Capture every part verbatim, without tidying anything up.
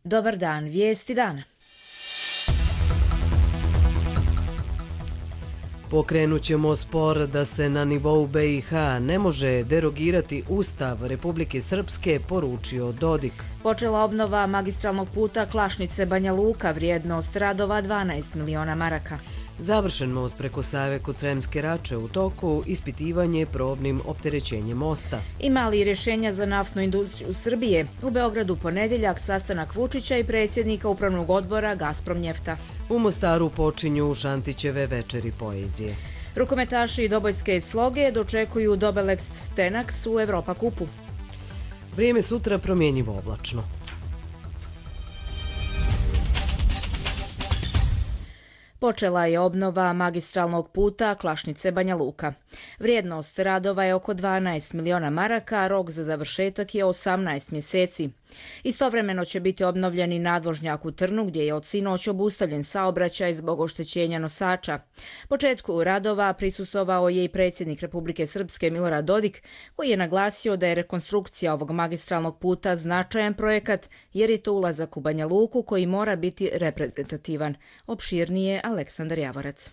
Dobar dan, vijesti dana. Pokrenut ćemo spor da se na nivou B i H ne može derogirati Ustav Republike Srpske, poručio Dodik. Počela obnova magistralnog puta Klašnice-Banja Luka, vrijednost radova dvanaest miliona maraka. Završen most preko Save kod Sremske Rače, u toku ispitivanje probnim opterećenjem mosta. Ima li rješenja za naftnu industriju Srbije? U Beogradu ponedjeljak sastanak Vučića i predsjednika upravnog odbora Gazprom Njefta. U Mostaru počinju Šantićeve večeri poezije. Rukometaši Dobojske Sloge dočekuju Dobelex Tenax u Evropa kupu. Vrijeme sutra promjenjivo oblačno. Počela je obnova magistralnog puta Klašnice-Banja Luka. Vrijednost radova je oko dvanaest miliona maraka, a rok za završetak je osamnaest mjeseci. Istovremeno će biti obnovljeni nadvožnjak u Trnu, gdje je od sinoć obustavljen saobraćaj zbog oštećenja nosača. Početku radova prisustvovao je i predsjednik Republike Srpske Milorad Dodik, koji je naglasio da je rekonstrukcija ovog magistralnog puta značajan projekat, jer je to ulazak u Banja Luku koji mora biti reprezentativan. Opširnije Aleksandar Javorac.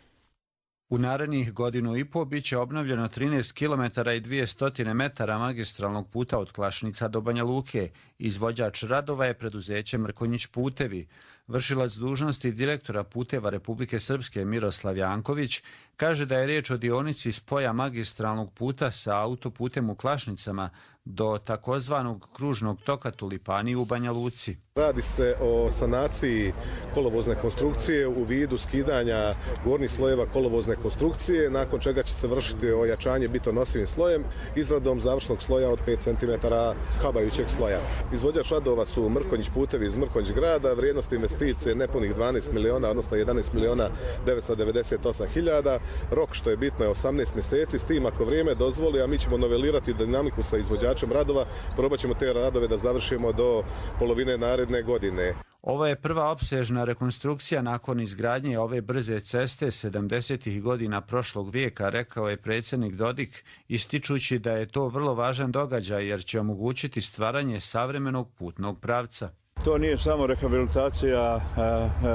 U narednih godinu i po biće obnovljeno trinaest kilometara i dvjesto metara magistralnog puta od Klašnica do Banja Luke. Izvođač radova je preduzeće Mrkonjić putevi. Vršilac dužnosti direktora puteva Republike Srpske Miroslav Janković kaže da je riječ o dionici spoja magistralnog puta sa autoputem u Klašnicama do takozvanog kružnog toka Tulipani u Banja Luci. Radi se o sanaciji kolovozne konstrukcije u vidu skidanja gornjih slojeva kolovozne konstrukcije, nakon čega će se vršiti ojačanje bitonosivim slojem izradom završnog sloja od pet centimetara habajućeg sloja. Izvođač radova su Mrkonjić putevi iz Mrkonjić grada, vrijednost investicije nepunih dvanaest miliona, odnosno jedanaest miliona devetsto devedeset osam hiljada. Rok, što je bitno, je osamnaest mjeseci, s tim ako vrijeme dozvoli, a mi ćemo novelirati dinamiku sa izvođačem radova, probat ćemo te radove da završimo do polovine naredne godine. Ovo je prva opsežna rekonstrukcija nakon izgradnje ove brze ceste sedamdesetih godina prošlog vijeka, rekao je predsjednik Dodik, ističući da je to vrlo važan događaj jer će omogućiti stvaranje savremenog putnog pravca. To nije samo rehabilitacija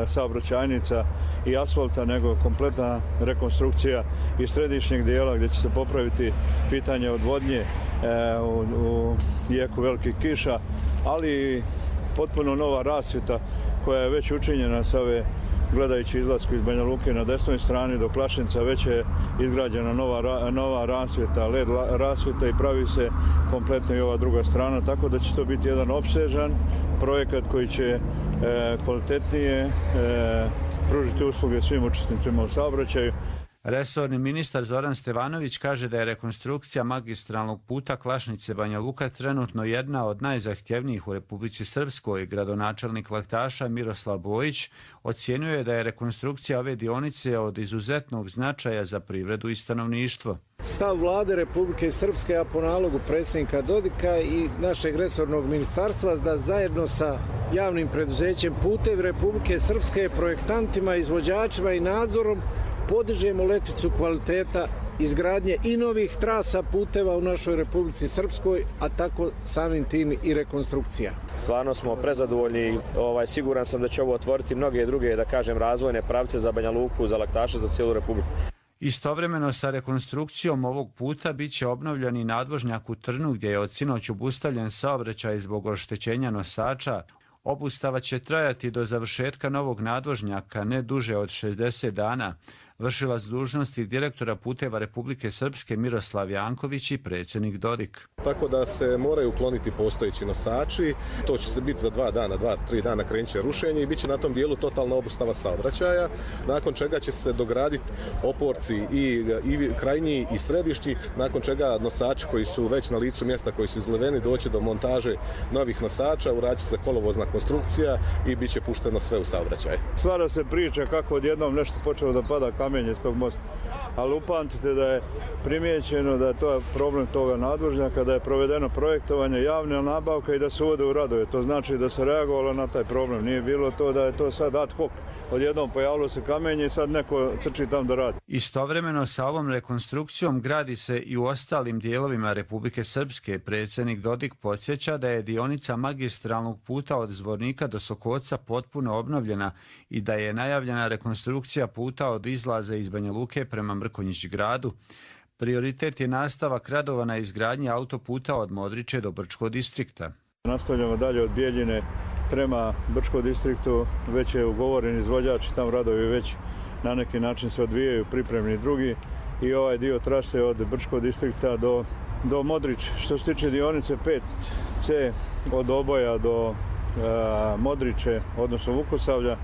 saobraćajnica i asfalta, nego kompletna rekonstrukcija i središnjeg dijela gdje će se popraviti pitanje odvodnje u jeku velikih kiša, ali potpuno nova rasvjeta koja je već učinjena sa ove, gledajući izlasku iz Banja Luke na desnoj strani do Klašnica, već je izgrađena nova, nova rasvjeta, led rasvjeta i pravi se kompletno i ova druga strana, tako da će to biti jedan opsežan projekat koji će e, kvalitetnije e, pružiti usluge svim učesnicima u saobraćaju. Resorni ministar Zoran Stevanović kaže da je rekonstrukcija magistralnog puta Klašnice-Banja Luka trenutno jedna od najzahtjevnijih u Republici Srpskoj. Gradonačelnik Laktaša Miroslav Bojić ocjenjuje da je rekonstrukcija ove dionice od izuzetnog značaja za privredu i stanovništvo. Stav vlade Republike Srpske, a po nalogu predsjednika Dodika i našeg resornog ministarstva, da zajedno sa javnim preduzećem Putevi Republike Srpske, projektantima, izvođačima i nadzorom podižemo letvicu kvaliteta izgradnje i novih trasa puteva u našoj Republici Srpskoj, a tako samim tim i rekonstrukcija. Stvarno smo prezadovoljni, ovaj, siguran sam da će ovo otvoriti mnoge druge, da kažem, razvojne pravce za Banja Luku, za Laktaša, za cijelu Republiku. Istovremeno sa rekonstrukcijom ovog puta bit će obnovljen i nadvožnjak u Trnu, gdje je od sinoć obustavljen saobraćaj zbog oštećenja nosača. Obustava će trajati do završetka novog nadvožnjaka ne duže od šezdeset dana. Vršilac dužnosti direktora puteva Republike Srpske Miroslav Janković i predsjednik Dodik. Tako da se moraju ukloniti postojeći nosači, to će se biti za dva dana, dva, tri dana krenut će rušenje i bit će na tom dijelu totalna obustava saobraćaja, nakon čega će se dograditi oporci i, i krajnji i središnji, nakon čega nosači koji su već na licu mjesta, koji su izleveni, doći do montaže novih nosača, uradit će se kolovozna konstrukcija i bit će pušteno sve u saobraćaj. Stvara se priča kako odjednom nešto počelo da pada kamen kamenje s tog mosta. Ali upamtite da je primijećeno da je to problem toga nadvožnjaka, da je provedeno projektovanje, javna nabavka i da se uvode u radove. To znači da se reagovalo na taj problem. Nije bilo to da je to sad ad hoc. Odjednom pojavilo se kamenje i sad neko trči tam da radi. Istovremeno sa ovom rekonstrukcijom gradi se i u ostalim dijelovima Republike Srpske. Predsjednik Dodik podsjeća da je dionica magistralnog puta od Zvornika do Sokoca potpuno obnovljena i da je najavljena rekonstrukcija puta od izlaza iz Banja Luke prema Mrkonjić gradu. Prioritet je nastavak radova na izgradnji autoputa od Modriče do Brčkog distrikta. Nastavljamo dalje od Bijeljine prema Brčkom distriktu, već je ugovoren izvođač i tam radovi već na neki način se odvijaju, pripremni drugi, i ovaj dio trase od Brčkog distrikta do, do Modrič. Što se tiče dionice pet ce od Oboja do e, Modriče, odnosno Vukosavlja, e,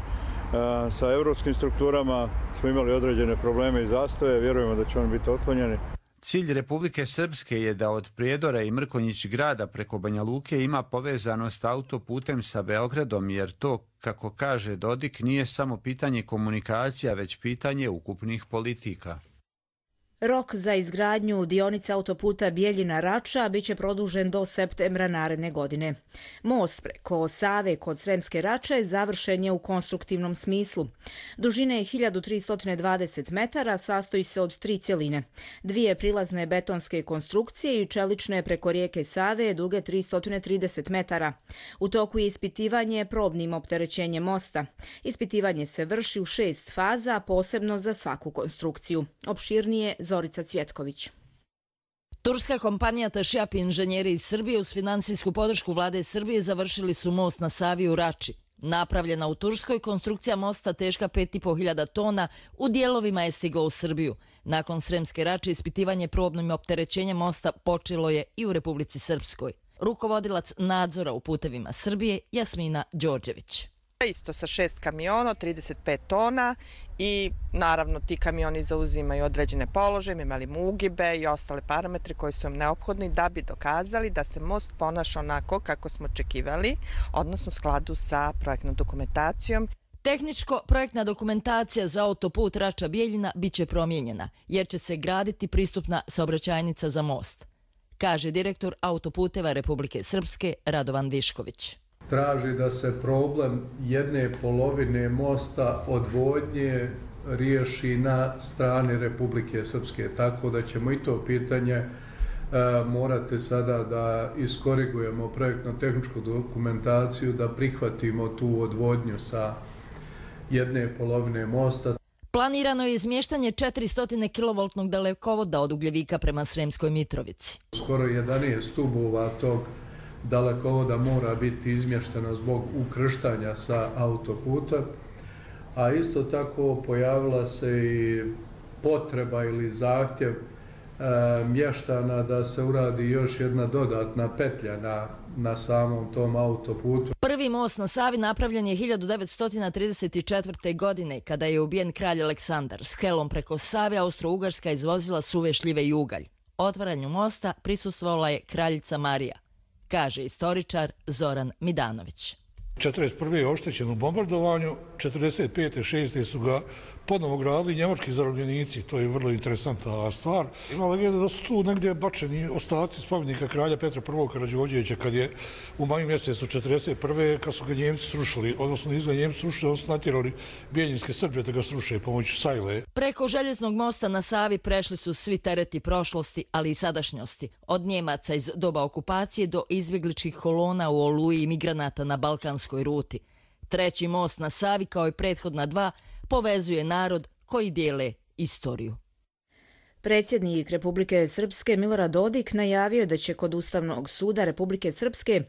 sa europskim strukturama smo imali određene probleme i zastoje, vjerujemo da će oni biti otklonjeni. Cilj Republike Srpske je da od Prijedora i Mrkonjić grada preko Banja Luke ima povezanost autoputem sa Beogradom, jer to, kako kaže Dodik, nije samo pitanje komunikacija, već pitanje ukupnih politika. Rok za izgradnju dionice autoputa Bijeljina-Rača biće produžen do septembra naredne godine. Most preko Save kod Sremske Rače završen je u konstruktivnom smislu. Dužine je hiljadu tristo dvadeset metara, sastoji se od tri cjeline. Dvije prilazne betonske konstrukcije i čelične preko rijeke Save duge tristo trideset metara. U toku je ispitivanje probnim opterećenjem mosta. Ispitivanje se vrši u šest faza, posebno za svaku konstrukciju. Opširnije Zorica Cvjetković. Turska kompanija Tašjap i inženjeri iz Srbije uz finansijsku podršku vlade Srbije završili su most na Savi u Rači. Napravljena u Turskoj, konstrukcija mosta teška pet i po hiljada tona u dijelovima je stigla u Srbiju. Nakon Sremske Rače ispitivanje probnim opterećenjem mosta počelo je i u Republici Srpskoj. Rukovodilac nadzora u putevima Srbije Jasmina Đorđević. Isto sa šest kamiona, trideset pet tona i naravno ti kamioni zauzimaju određene položaje, imali mugibe i ostale parametre koji su vam neophodni da bi dokazali da se most ponaša onako kako smo očekivali, odnosno u skladu sa projektnom dokumentacijom. Tehničko-projektna dokumentacija za autoput Rača-Bijeljina biće promijenjena jer će se graditi pristupna saobraćajnica za most, kaže direktor autoputeva Republike Srpske Radovan Višković. Traži da se problem jedne polovine mosta odvodnje riješi na strani Republike Srpske, tako da ćemo i to pitanje e, morati sada da iskorigujemo projektno-tehničku dokumentaciju, da prihvatimo tu odvodnju sa jedne polovine mosta. Planirano je izmještanje četiristo kilovoltnog dalekovoda od Ugljevika prema Sremskoj Mitrovici. Skoro jedanaest stubova tog dalekovoda mora biti izmješteno zbog ukrštanja sa autoputa, a isto tako pojavila se i potreba ili zahtjev e, mještana da se uradi još jedna dodatna petlja na, na samom tom autoputu. Prvi most na Savi napravljen je hiljadu devetsto trideset četvrte. godine kada je ubijen kralj Aleksandar. S helom preko Save Austro-Ugarska izvozila suve šljive i ugalj. Otvaranju mosta prisustvovala je kraljica Marija, kaže istoričar Zoran Midanović. četrdeset prve je oštećen u bombardovanju, četrdeset pete šeste su ga ponovo gradili njemački zarobljenici, to je vrlo interesantna stvar. Ima legenda da su tu negdje bačeni ostaci spomenika kralja Petra prvog. Karađorđevića kad je u maju mjesecu četrdeset prve kad su ga Njemci srušili, odnosno nisu ga Njemci srušili, oni su natjerali bijeljinske Srbije da ga sruše pomoću sajle. Preko željeznog mosta na Savi prešli su svi tereti prošlosti, ali i sadašnjosti. Od Njemaca iz doba okupacije do izbjegličkih kolona u Oluji i migranata na balkanskoj ruti. Treći most na Savi, kao i prethodna dva, povezuje narod koji dijele istoriju. Predsjednik Republike Srpske Milorad Dodik najavio da će kod Ustavnog suda Republike Srpske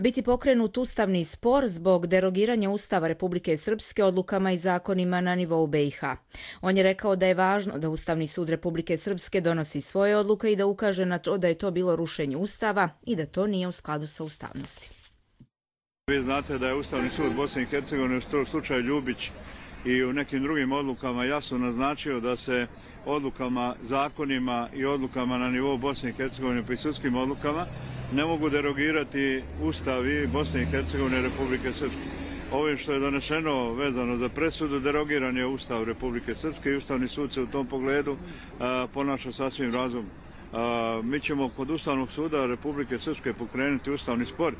biti pokrenut ustavni spor zbog derogiranja Ustava Republike Srpske odlukama i zakonima na nivou be i ha. On je rekao da je važno da Ustavni sud Republike Srpske donosi svoje odluke i da ukaže na to da je to bilo rušenje Ustava i da to nije u skladu sa ustavnosti. Vi znate da je Ustavni sud Bosne i Hercegovine u slučaju Ljubić i u nekim drugim odlukama jasno naznačio da se odlukama, zakonima i odlukama na nivou Bosne i Hercegovine pa i sudskim odlukama ne mogu derogirati ustavi Bosne i Hercegovine i Republike Srpske. ovim što je donešeno vezano za presudu, derogiran je Ustav Republike Srpske i Ustavni sud se u tom pogledu a, ponaša sasvim razumno. A, mi ćemo kod Ustavnog suda Republike Srpske pokrenuti ustavni spor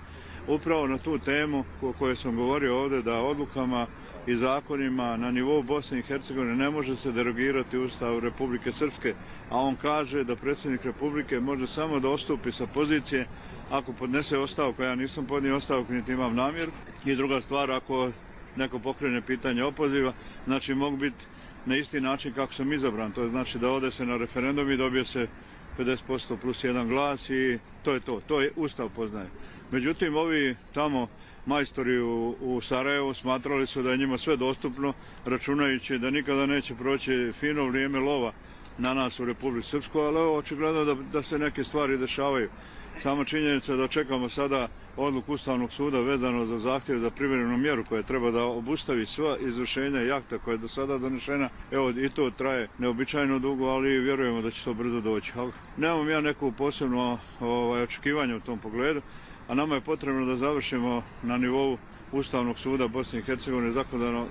upravo na tu temu o kojoj sam govorio ovdje, da odlukama i zakonima na nivou Bosne i Hercegovine ne može se derogirati Ustav Republike Srpske, a on kaže da predsjednik Republike može samo da odstupi sa pozicije ako podnese ostavku. Ja nisam podnio ostavku, niti imam namjer. I druga stvar, ako neko pokrene pitanje opoziva, znači mogu biti na isti način kako sam izabran. To znači da ode se na referendum i dobije se pedeset posto plus jedan glas i to je to. To je Ustav poznaje. Međutim, ovi tamo majstori u, u Sarajevu smatrali su da je njima sve dostupno, računajući da nikada neće proći fino vrijeme lova na nas u Republici Srpskoj, ali ovo očigledno da, da se neke stvari dešavaju. Samo činjenica da čekamo sada odluku Ustavnog suda vezano za zahtjev za privremenu mjeru koja treba da obustavi sva izvršenja i akta koja je do sada donešena. Evo, i to traje neobičajno dugo, ali vjerujemo da će to brzo doći. Nemam ja neku posebno ovaj, očekivanje u tom pogledu, a nama je potrebno da završimo na nivou Ustavnog suda Bosne i Hercegovine zakonodavno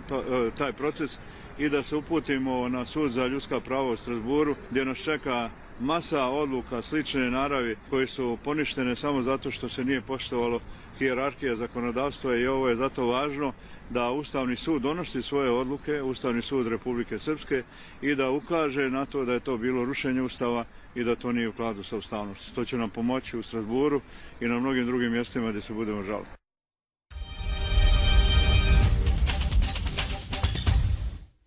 taj proces i da se uputimo na sud za ljudska prava u Strasburu, gdje nas čeka masa odluka slične naravi koje su poništene samo zato što se nije poštovalo hijerarhija zakonodavstva i ovo je zato važno da Ustavni sud donosi svoje odluke, Ustavni sud Republike Srpske, i da ukaže na to da je to bilo rušenje Ustava i da to nije u skladu sa ustavnošću. To će nam pomoći u Strasburu i na mnogim drugim mjestima gdje se budemo žaliti.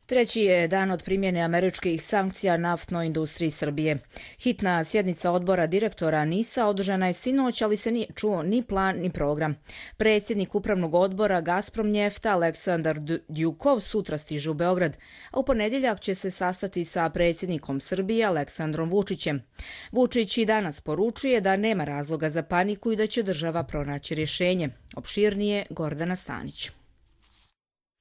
Treći je dan od primjene američkih sankcija naftnoj industriji Srbije. Hitna sjednica odbora direktora NIS-a održana je sinoć, ali se nije čuo ni plan ni program. Predsjednik upravnog odbora Gazpromnjefta Aleksandar Djukov sutra stiže u Beograd, a u ponedjeljak će se sastati sa predsjednikom Srbije Aleksandrom Vučićem. Vučić i danas poručuje da nema razloga za paniku i da će država pronaći rješenje. Opširnije Gordana Stanić.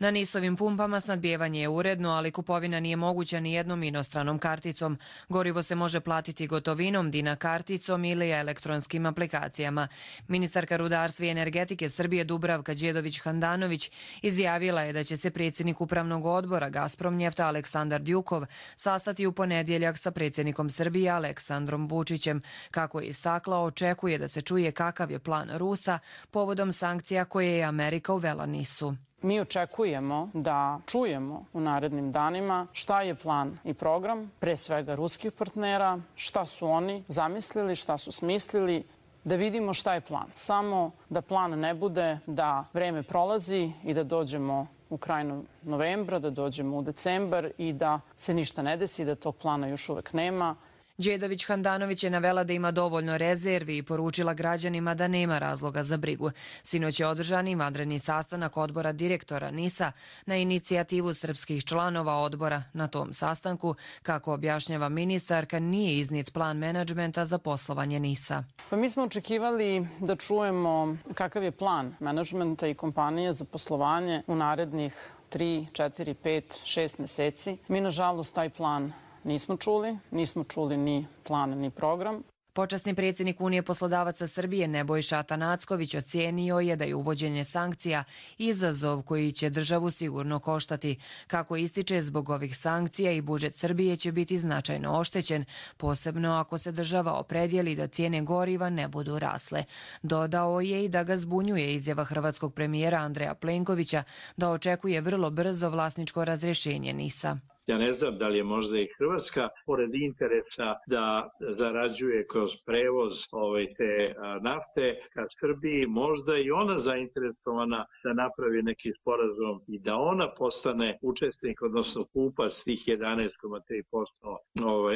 Na NIS-ovim pumpama snadbijevanje je uredno, ali kupovina nije moguća ni jednom inostranom karticom. Gorivo se može platiti gotovinom, Dina karticom ili elektronskim aplikacijama. Ministarka rudarstva i energetike Srbije Dubravka Đedović-Handanović izjavila je da će se predsjednik upravnog odbora Gazpromnjefta Aleksandar Djukov sastati u ponedjeljak sa predsjednikom Srbije Aleksandrom Vučićem. Kako je istakla, očekuje da se čuje kakav je plan Rusa povodom sankcija koje je Amerika uvela NIS-u. Mi očekujemo da čujemo u narednim danima šta je plan i program, pre svega ruskih partnera, šta su oni zamislili, šta su smislili, da vidimo šta je plan. Samo da plan ne bude da vreme prolazi i da dođemo u kraju novembra, da dođemo u decembar i da se ništa ne desi, da tog plana još uvek nema. Đedović-Handanović je navela da ima dovoljno rezervi i poručila građanima da nema razloga za brigu. Sinoć je održan i vanredni sastanak odbora direktora NIS-a na inicijativu srpskih članova odbora. Na tom sastanku, kako objašnjava ministarka, nije iznijet plan menadžmenta za poslovanje NIS-a. Pa mi smo očekivali da čujemo kakav je plan menadžmenta i kompanije za poslovanje u narednih tri, četiri, pet, šest meseci. Mi, nažalost, taj plan nismo čuli, nismo čuli ni plan ni program. Počasni predsjednik Unije poslodavaca Srbije Nebojša Atanacković ocijenio je da je uvođenje sankcija izazov koji će državu sigurno koštati. Kako ističe, zbog ovih sankcija i budžet Srbije će biti značajno oštećen, posebno ako se država opredijeli da cijene goriva ne budu rasle. Dodao je i da ga zbunjuje izjava hrvatskog premijera Andreja Plenkovića da očekuje vrlo brzo vlasničko razrješenje NIS-a. Ja ne znam da li je možda i Hrvatska, pored interesa da zarađuje kroz prevoz ove te nafte ka Srbiji, možda i ona zainteresovana da napravi neki sporazum i da ona postane učesnik, odnosno kupac tih jedanaest zarez tri posto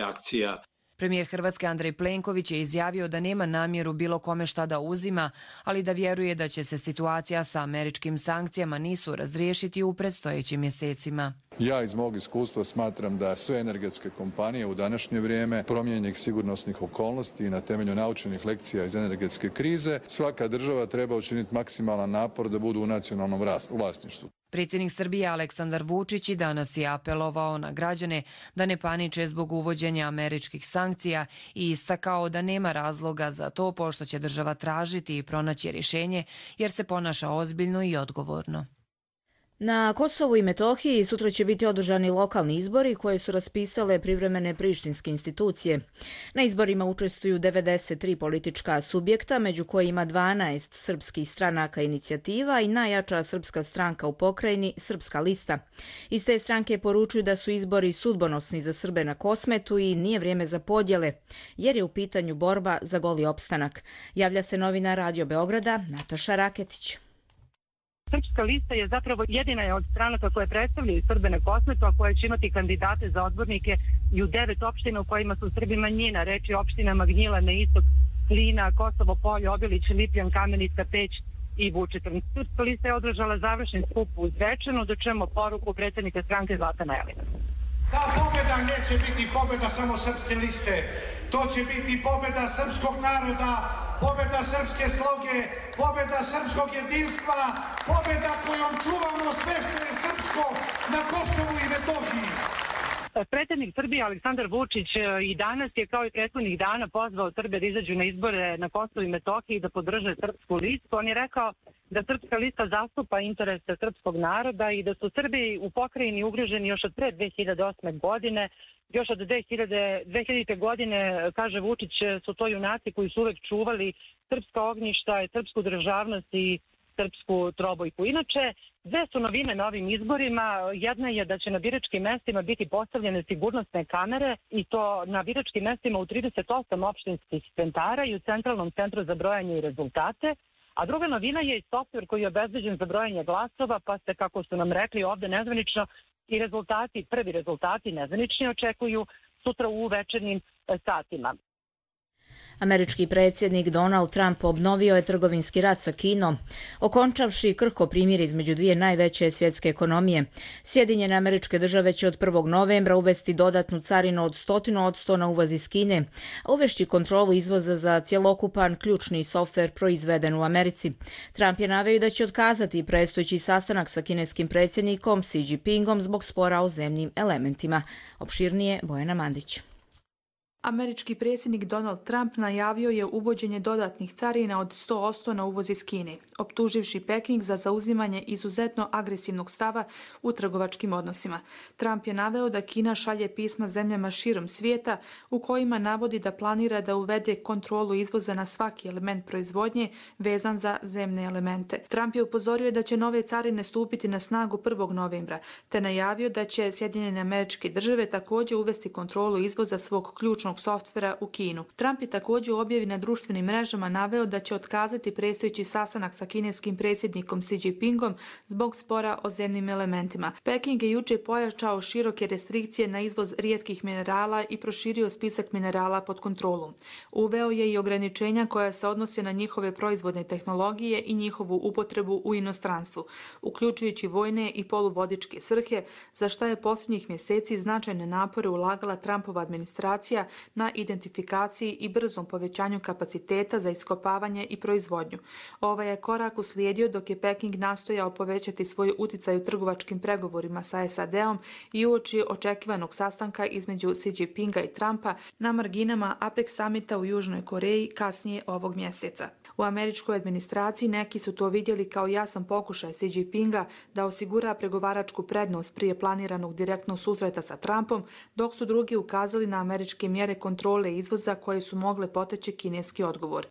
akcija. Premijer Hrvatske Andrej Plenković je izjavio da nema namjeru bilo kome šta da uzima, ali da vjeruje da će se situacija sa američkim sankcijama NIS-u razriješiti u predstojećim mjesecima. Ja iz mog iskustva smatram da sve energetske kompanije u današnje vrijeme promijenjenih sigurnosnih okolnosti i na temelju naučenih lekcija iz energetske krize, svaka država treba učiniti maksimalan napor da budu u nacionalnom vlasništvu. Predsjednik Srbije Aleksandar Vučić i danas je apelovao na građane da ne paniče zbog uvođenja američkih sankcija i istakao da nema razloga za to pošto će država tražiti i pronaći rješenje jer se ponaša ozbiljno i odgovorno. Na Kosovu i Metohiji sutra će biti održani lokalni izbori koje su raspisale privremene prištinske institucije. Na izborima učestvuju devedeset tri politička subjekta, među kojima dvanaest srpskih stranaka inicijativa i najjača srpska stranka u pokrajini Srpska lista. Iz te stranke poručuju da su izbori sudbonosni za Srbe na Kosmetu i nije vrijeme za podjele, jer je u pitanju borba za goli opstanak. Javlja se novinar Radio Beograda Nataša Raketić. Srpska lista je zapravo jedina je od stranaka koje predstavljaju Srbe na Kosmetu, a koje će imati kandidate za odbornike i u devet opština u kojima su Srbi manjina, reč je opštinama Gnjilane, Istok, Klina, Kosovo Polje, Obilić, Lipljan, Kamenica, Peć i Vučitrn. Srpska lista je održala završen skup u Zvečanu, da čujemo poruku predsjednika stranke Zlatana Elina. Ta pobjeda neće biti pobjeda samo Srpske liste, to će biti pobjeda srpskog naroda, pobjeda srpske sloge, pobjeda srpskog jedinstva, pobjeda kojom čuvamo sve što je srpsko na Kosovu i Metohiji. Predsjednik Srbije Aleksandar Vučić i danas je kao i prethodnih dana pozvao Srbe da izađu na izbore na Kosovu i Metohiji da podrže Srpsku listu. On je rekao da Srpska lista zastupa interese srpskog naroda i da su Srbi u pokrajini ugroženi još od pre dve hiljade osme. godine. Još od dve hiljadite. godine, kaže Vučić, su to junaci koji su uvek čuvali srpska ognjišta, srpsku državnost i srpsku trobojku. Inače, dve su novine na ovim izborima. Jedna je da će na biračkim mestima biti postavljene sigurnosne kamere i to na biračkim mestima u trideset osam opštinskih centara i u Centralnom centru za brojanje i rezultate. A druga novina je i softver koji je obezbeđen za brojanje glasova, pa se, kako su nam rekli ovde nezvanično, i rezultati, prvi rezultati nezvanični očekuju sutra u večernjim satima. Američki predsjednik Donald Trump obnovio je trgovinski rat sa Kinom, okončavši krhko primirje između dvije najveće svjetske ekonomije. Sjedinjene Američke Države će od prvog novembra uvesti dodatnu carinu od sto posto na uvoz iz Kine, a uvešći kontrolu izvoza za cjelokupan ključni softver proizveden u Americi. Trump je naveo da će otkazati predstojeći sastanak sa kineskim predsjednikom Xi Jinpingom zbog spora o zemljim elementima. Opširnije Bojana Mandić. Američki predsjednik Donald Trump najavio je uvođenje dodatnih carina od sto posto na uvoz iz Kine, optuživši Peking za zauzimanje izuzetno agresivnog stava u trgovačkim odnosima. Trump je naveo da Kina šalje pisma zemljama širom svijeta u kojima navodi da planira da uvede kontrolu izvoza na svaki element proizvodnje vezan za zemne elemente. Trump je upozorio da će nove carine stupiti na snagu prvog novembra, te najavio da će Sjedinjene Američke Države također uvesti kontrolu izvoza svog ključnog softvera u Kinu. Trump je također u objavi na društvenim mrežama naveo da će otkazati predstojeći sastanak sa kineskim predsjednikom Xi Jinpingom zbog spora o zemnim elementima. Peking je jučer pojačao široke restrikcije na izvoz rijetkih minerala i proširio spisak minerala pod kontrolom. Uveo je i ograničenja koja se odnose na njihove proizvodne tehnologije i njihovu upotrebu u inostranstvu, uključujući vojne i poluvodičke svrhe, za što je posljednjih mjeseci značajne napore ulagala Trumpova administracija na identifikaciji i brzom povećanju kapaciteta za iskopavanje i proizvodnju. Ovaj je korak uslijedio dok je Peking nastojao povećati svoj uticaj u trgovačkim pregovorima sa S A D-om i uoči očekivanog sastanka između Xi Jinpinga i Trumpa na marginama APEC samita u Južnoj Koreji kasnije ovog mjeseca. U američkoj administraciji neki su to vidjeli kao jasan pokušaj Xi Jinpinga da osigura pregovaračku prednost prije planiranog direktnog susreta sa Trumpom, dok su drugi ukazali na američke mjere kontrole izvoza koje su mogle poteći kineski odgovor.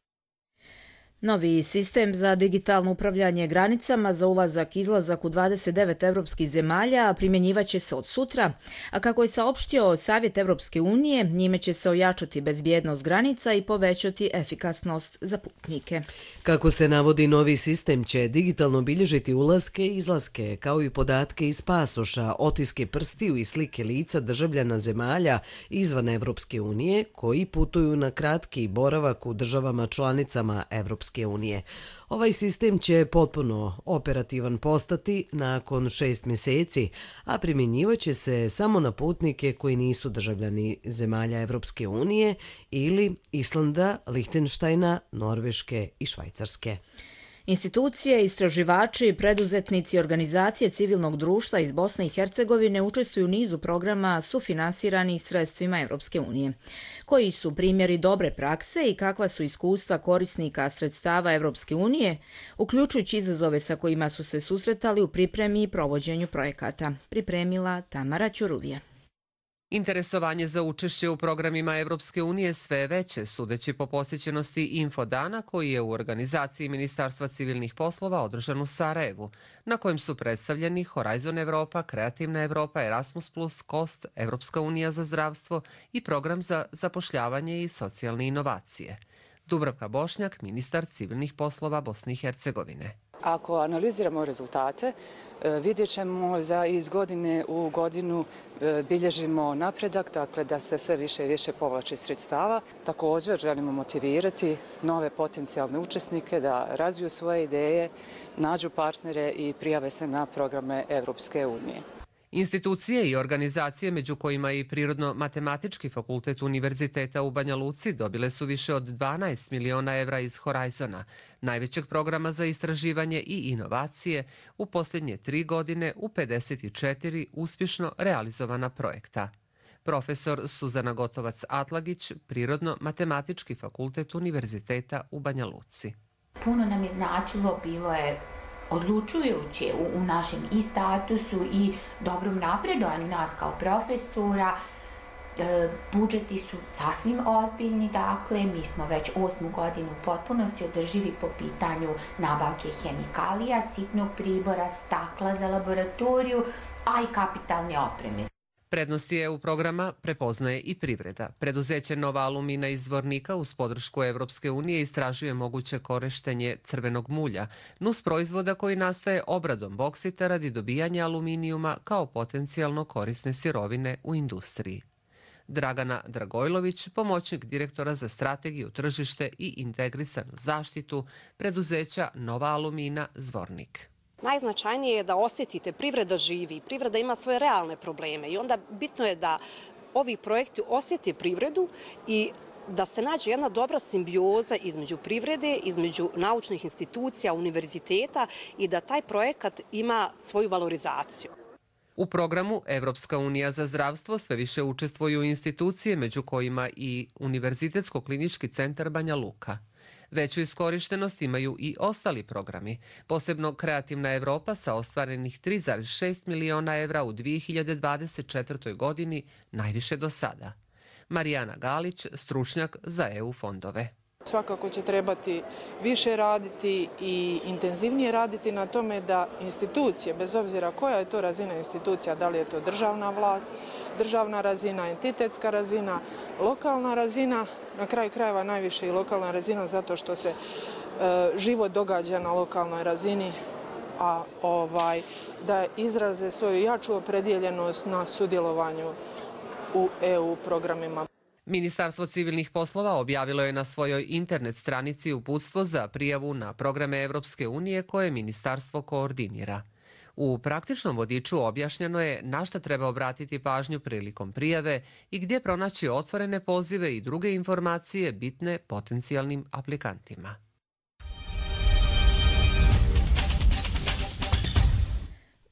Novi sistem za digitalno upravljanje granicama za ulazak i izlazak u dvadeset devet evropskih zemalja primjenjivaće se od sutra, a kako je saopštio Savjet Evropske unije, njime će se ojačati bezbjednost granica i povećati efikasnost za putnike. Kako se navodi, novi sistem će digitalno bilježiti ulaske i izlaske, kao i podatke iz pasoša, otiske prstiju i slike lica državljana zemalja izvan Evropske unije koji putuju na kratki boravak u državama članicama Evropske unije. Ovaj sistem će potpuno operativan postati nakon šest mjeseci, a primjenjivaće se samo na putnike koji nisu državljani zemalja Evropske unije ili Islanda, Lihtenštajna, Norveške i Švajcarske. Institucije, istraživači, preduzetnici i organizacije civilnog društva iz Bosne i Hercegovine učestvuju u nizu programa sufinansirani sredstvima Europske unije. Koji su primjeri dobre prakse i kakva su iskustva korisnika sredstava Europske unije, uključujući izazove sa kojima su se susretali u pripremi i provođenju projekata, pripremila Tamara Ćuruvija. Interesovanje za učešće u programima Evropske unije sve je veće, sudeći po posjećenosti Infodana koji je u organizaciji Ministarstva civilnih poslova održan u Sarajevu, na kojem su predstavljeni Horizon Evropa, Kreativna Evropa, Erasmus plus, Kost, Evropska unija za zdravstvo i program za zapošljavanje i socijalne inovacije. Dubravka Bošnjak, ministar civilnih poslova Bosne i Hercegovine. Ako analiziramo rezultate, vidjet ćemo da iz godine u godinu bilježimo napredak, dakle da se sve više i više povlači sredstava. Također želimo motivirati nove potencijalne učesnike da razviju svoje ideje, nađu partnere i prijave se na programe Evropske unije. Institucije i organizacije, među kojima i Prirodno-matematički fakultet Univerziteta u Banja Luci, dobile su više od dvanaest miliona evra iz Horizona, najvećeg programa za istraživanje i inovacije u posljednje tri godine u pedeset četiri uspješno realizovana projekta. Profesor Suzana Gotovac-Atlagić, Prirodno-matematički fakultet Univerziteta u Banja Luci. Puno nam je značilo, bilo je odlučujuće u, u našem i statusu i dobrom napredovanju nas kao profesora. E, budžeti su sasvim ozbiljni, dakle, mi smo već osmu godinu u potpunosti održivi po pitanju nabavke hemikalija, sitnog pribora, stakla za laboratoriju, a i kapitalne opreme. Prednosti E U programa prepoznaje i privreda. Preduzeće Nova Alumina iz Zvornika uz podršku Evropske unije istražuje moguće korištenje crvenog mulja, nus proizvoda koji nastaje obradom boksita radi dobijanja aluminijuma kao potencijalno korisne sirovine u industriji. Dragana Dragojlović, pomoćnik direktora za strategiju, tržište i integrisanu zaštitu preduzeća Nova Alumina Zvornik. Najznačajnije je da osjetite, privreda živi, privreda ima svoje realne probleme i onda bitno je da ovi projekti osjete privredu i da se nađe jedna dobra simbioza između privrede, između naučnih institucija, univerziteta i da taj projekat ima svoju valorizaciju. U programu Evropska unija za zdravstvo sve više učestvuju institucije, među kojima i Univerzitetsko-klinički centar Banja Luka. Veću iskorištenost imaju i ostali programi, posebno Kreativna Evropa sa ostvarenih tri zarez šest miliona evra u dvije hiljade dvadeset četvrtoj godini, najviše do sada. Marijana Galić, stručnjak za E U fondove. Svakako će trebati više raditi i intenzivnije raditi na tome da institucije, bez obzira koja je to razina institucija, da li je to državna vlast, državna razina, entitetska razina, lokalna razina, na kraju krajeva najviše i lokalna razina zato što se e, život događa na lokalnoj razini, a ovaj, da izraze svoju jaču opredjeljenost na sudjelovanju u E U programima. Ministarstvo civilnih poslova objavilo je na svojoj internet stranici uputstvo za prijavu na programe Evropske unije koje ministarstvo koordinira. U praktičnom vodiču objašnjeno je na šta treba obratiti pažnju prilikom prijave i gdje pronaći otvorene pozive i druge informacije bitne potencijalnim aplikantima.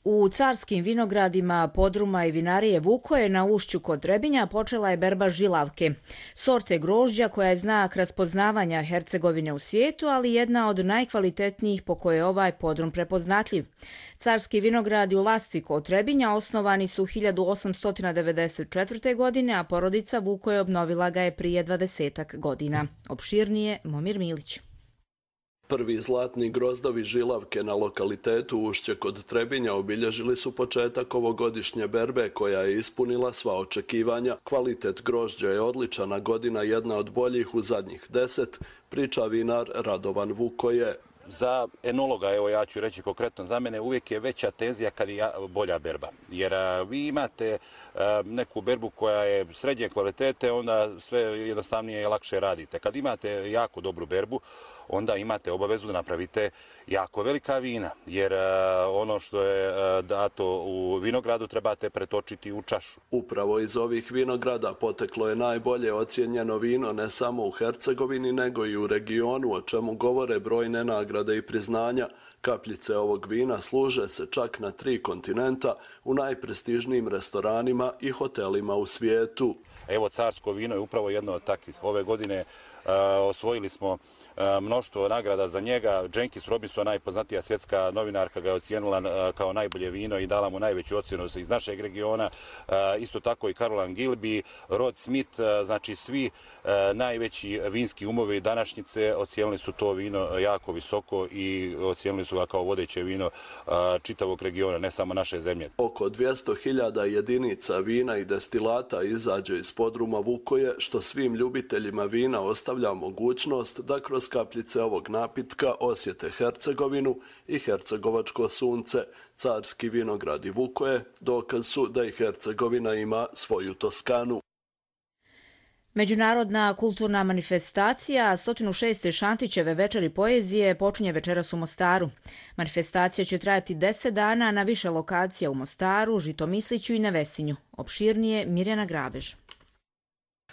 U carskim vinogradima podruma i vinarije Vukoje na ušću kod Trebinja počela je berba žilavke, sorte grožđa koja je znak raspoznavanja Hercegovine u svijetu, ali jedna od najkvalitetnijih po kojoj je ovaj podrum prepoznatljiv. Carski vinogradi u Lasci kod Trebinja osnovani su hiljadu osamsto devedeset četvrte. godine, a porodica Vukoje obnovila ga je prije dvadesetak godina. Opširnije Momir Milić. Prvi zlatni grozdovi žilavke na lokalitetu Ušće kod Trebinja obilježili su početak ovogodišnje berbe koja je ispunila sva očekivanja. Kvalitet grožđa je odličan, a godina jedna od boljih u zadnjih deset, priča vinar Radovan Vukoje. Za enologa, evo ja ću reći konkretno za mene, uvijek je veća tenzija kad je bolja berba. Jer a, vi imate a, neku berbu koja je srednje kvalitete, onda sve jednostavnije i lakše radite. Kad imate jako dobru berbu, onda imate obavezu da napravite jako velika vina, jer ono što je dato u vinogradu trebate pretočiti u čašu. Upravo iz ovih vinograda poteklo je najbolje ocijenjeno vino ne samo u Hercegovini, nego i u regionu, o čemu govore brojne nagrade i priznanja. Kapljice ovog vina služe se čak na tri kontinenta u najprestižnijim restoranima i hotelima u svijetu. Evo, carsko vino je upravo jedno od takvih. Ove godine uh, osvojili smo uh, mnoštvo nagrada za njega. Jenkins Robinson, najpoznatija svjetska novinarka, ga je ocijenila uh, kao najbolje vino i dala mu najveću ocjenu iz našeg regiona. Uh, isto tako i Caroline Gilby, Rod Smith, uh, znači svi uh, najveći vinski umovi današnjice ocijenili su to vino jako visoko i ocijenili su ga kao vodeće vino uh, čitavog regiona, ne samo naše zemlje. Oko dvjesto hiljada jedinica vina i destilata izađe iz podruma Vukoje, što svim ljubiteljima vina ostavlja mogućnost da kroz kapljice ovog napitka osjete Hercegovinu i hercegovačko sunce. Carski vinogradi Vukoje dokaz su da i Hercegovina ima svoju Toskanu. Međunarodna kulturna manifestacija sto šest. Šantićeve večeri poezije počinje večeras u Mostaru. Manifestacija će trajati deset dana na više lokacija u Mostaru, Žitomisliću i Nevesinju. Opširnije Mirjana Grabež.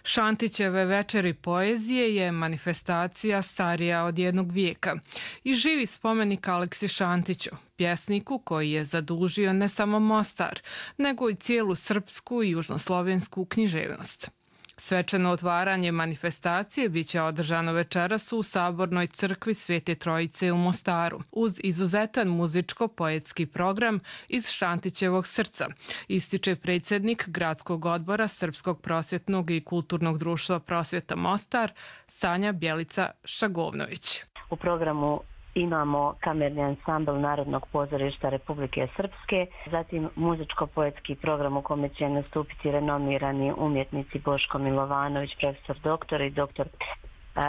Šantićeve večeri poezije je manifestacija starija od jednog vijeka i živi spomenik Aleksi Šantiću, pjesniku koji je zadužio ne samo Mostar, nego i cijelu srpsku i južnoslovensku književnost. Svečano otvaranje manifestacije biće održano večeras u Sabornoj crkvi Svete Trojice u Mostaru, uz izuzetan muzičko-poetski program iz Šantićevog srca, ističe predsjednik Gradskog odbora Srpskog prosvjetnog i kulturnog društva Prosvjeta Mostar, Sanja Bjelica Šagovnović. U programu imamo kamerni ansambl Narodnog pozorišta Republike Srpske, zatim muzičko-poetski program u kome će nastupiti renomirani umjetnici Boško Milovanović, profesor doktor i doktor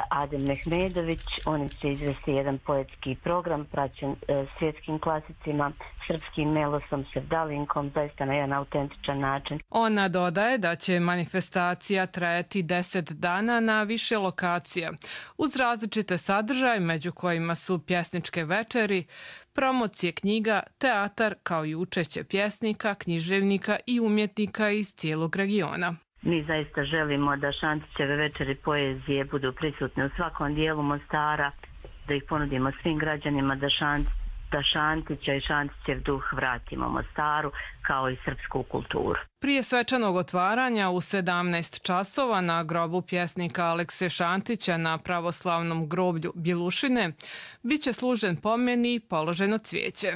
Adem Mehmedović. Oni će izvesti jedan poetski program praćen svjetskim klasicima, srpskim melosom, sevdalinkom, zaista na jedan autentičan način. Ona dodaje da će manifestacija trajati deset dana na više lokacija, uz različite sadržaje, među kojima su pjesničke večeri, promocije knjiga, teatar, kao i učešće pjesnika, književnika i umjetnika iz cijelog regiona. Mi zaista želimo da Šantićeve večeri poezije budu prisutne u svakom dijelu Mostara, da ih ponudimo svim građanima, da, šant, da Šantića i Šantićev duh vratimo Mostaru, kao i srpsku kulturu. Prije svečanog otvaranja u sedamnaest časova na grobu pjesnika Alekse Šantića na pravoslavnom groblju Bjelušine biće služen pomen i položeno cvijeće.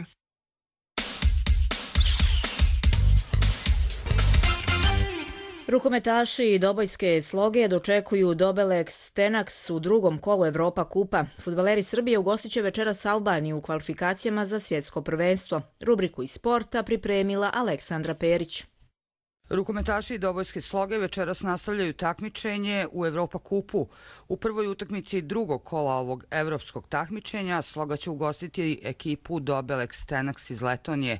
Rukometaši Dobojske Sloge dočekuju Dobeleks Tenaks u drugom kolu Evropa kupa. Fudbaleri Srbije ugostit će večeras Albaniju u kvalifikacijama za svjetsko prvenstvo. Rubriku iz sporta pripremila Aleksandra Perić. Rukometaši Dobojske Sloge večeras nastavljaju takmičenje u Evropa kupu. U prvoj utakmici drugog kola ovog evropskog takmičenja Sloga će ugostiti ekipu Dobeleks Tenaks iz Letonije.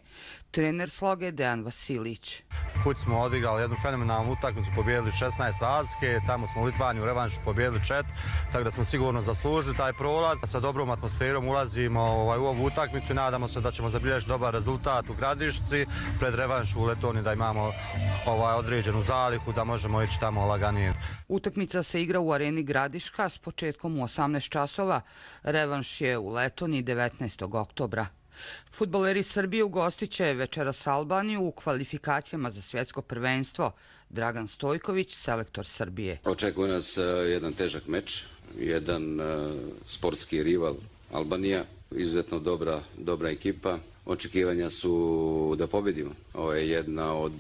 Trener Sloge Dejan Vasilić. Kuć smo odigrali jednu fenomenalnu utakmicu, pobijedili šesnaest razlike, tamo smo u Litvaniju u revanšu pobijedili četiri, tako da smo sigurno zaslužili taj prolaz. Sa dobrom atmosferom ulazimo ovaj, u ovu utakmicu i nadamo se da ćemo zabilježiti dobar rezultat u Gradišci pred revanšu u Letoniji, da imamo ovaj, određenu zalihu, da možemo ići tamo laganije. Utakmica se igra u areni Gradiška s početkom u osamnaest časova. Revanš je u Letoniji devetnaestog oktobra. Fudbaleri Srbije ugostit će večeras Albaniju u kvalifikacijama za svjetsko prvenstvo. Dragan Stojković, selektor Srbije. Očekuje nas jedan težak meč, jedan sportski rival Albanija, izuzetno dobra, dobra ekipa. Očekivanja su da pobedimo. Ovo je jedna od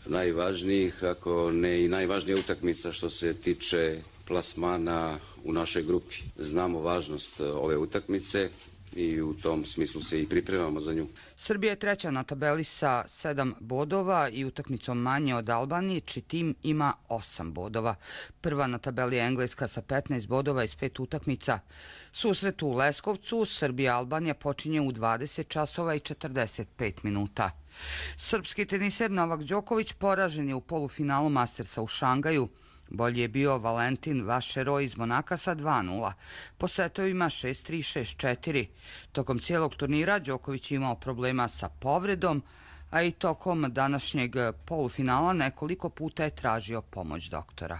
najvažnijih, ako ne i najvažnija utakmica što se tiče plasmana u našoj grupi. Znamo važnost ove utakmice i u tom smislu se i pripremamo za nju. Srbija je treća na tabeli sa sedam bodova i utakmicom manje od Albanije, čiji tim ima osam bodova. Prva na tabeli je Engleska sa petnaest bodova iz pet utakmica. Susret u Leskovcu Srbija-Albanija počinje u dvadeset časova i četrdeset pet minuta. Srpski teniser Novak Đoković poražen je u polufinalu Mastersa u Šangaju. Bolji je bio Valentin Vašero iz Monaka sa dva nula. Po setovima šest tri šest četiri. Tokom cijelog turnira Đoković je imao problema sa povredom, a i tokom današnjeg polufinala nekoliko puta je tražio pomoć doktora.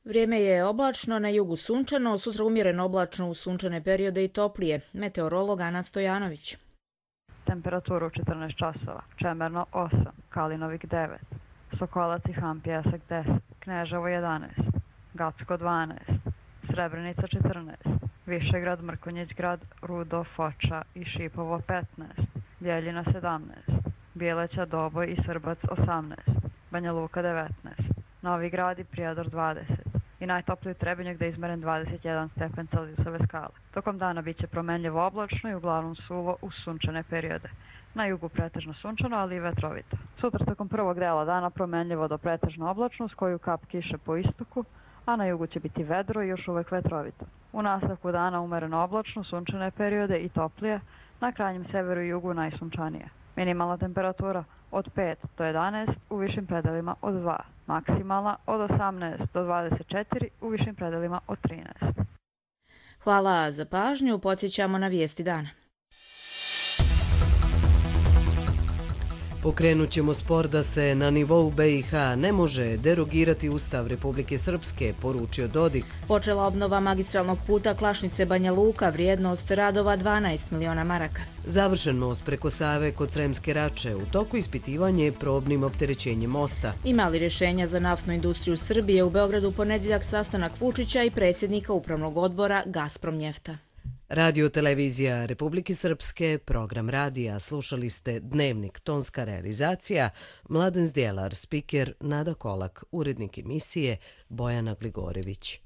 Vrijeme je oblačno, na jugu sunčano, sutra umjereno oblačno u sunčane periode i toplije. Meteorolog Ana Stojanović. Temperaturu četrnaest časova, Čemerno osam, Kalinovik devet, Sokolac i Han Pjesak deset, Kneževo jedanaest, Gacko dvanaest, Srebrenica četrnaest, Višegrad, Mrkonjić grad, Rudo, Foča i Šipovo petnaest, Bjeljina sedamnaest, Bijeleća, Doboj i Srbac osamnaest, Banja Luka devetnaest, Novi Grad i Prijedor dvadeset i najtopliji Trebinje gde je izmeren dvadeset jedan stepen Celzijusove skale. Tokom dana biće promenljivo oblačno i uglavnom suvo uz sunčane periode. Na jugu pretežno sunčano, ali i vetrovito. Sutra tokom prvog dela dana promenljivo do pretežno oblačno s koju kap kiše po istoku, a na jugu će biti vedro i još uvek vetrovito. U nastavku dana umereno oblačno, sunčane periode i toplije, na krajnjem severu i jugu najsunčanije. Minimalna temperatura od pet do jedanaest, u višim predelima od dva. Maksimalna od osamnaest do dvadeset četiri, u višim predelima od trinaest. Hvala za pažnju, podsjećamo na vijesti dana. Pokrenut ćemo spor da se na nivou B i H ne može derogirati Ustav Republike Srpske, poručio Dodik. Počela obnova magistralnog puta Klašnice Banja Luka, vrijednost radova dvanaest miliona maraka. Završen most preko Save kod Sremske Rače, u toku ispitivanje probnim opterećenjem mosta. Ima li rješenja za naftnu industriju Srbije? U Beogradu u ponedjeljak sastanak Vučića i predsjednika upravnog odbora Gazprom Njefta. Radio televizija Republike Srpske, program radija, slušali ste Dnevnik, tonska realizacija, Mladen Zdjelar, spiker Nada Kolak, urednik emisije Bojana Gligorević.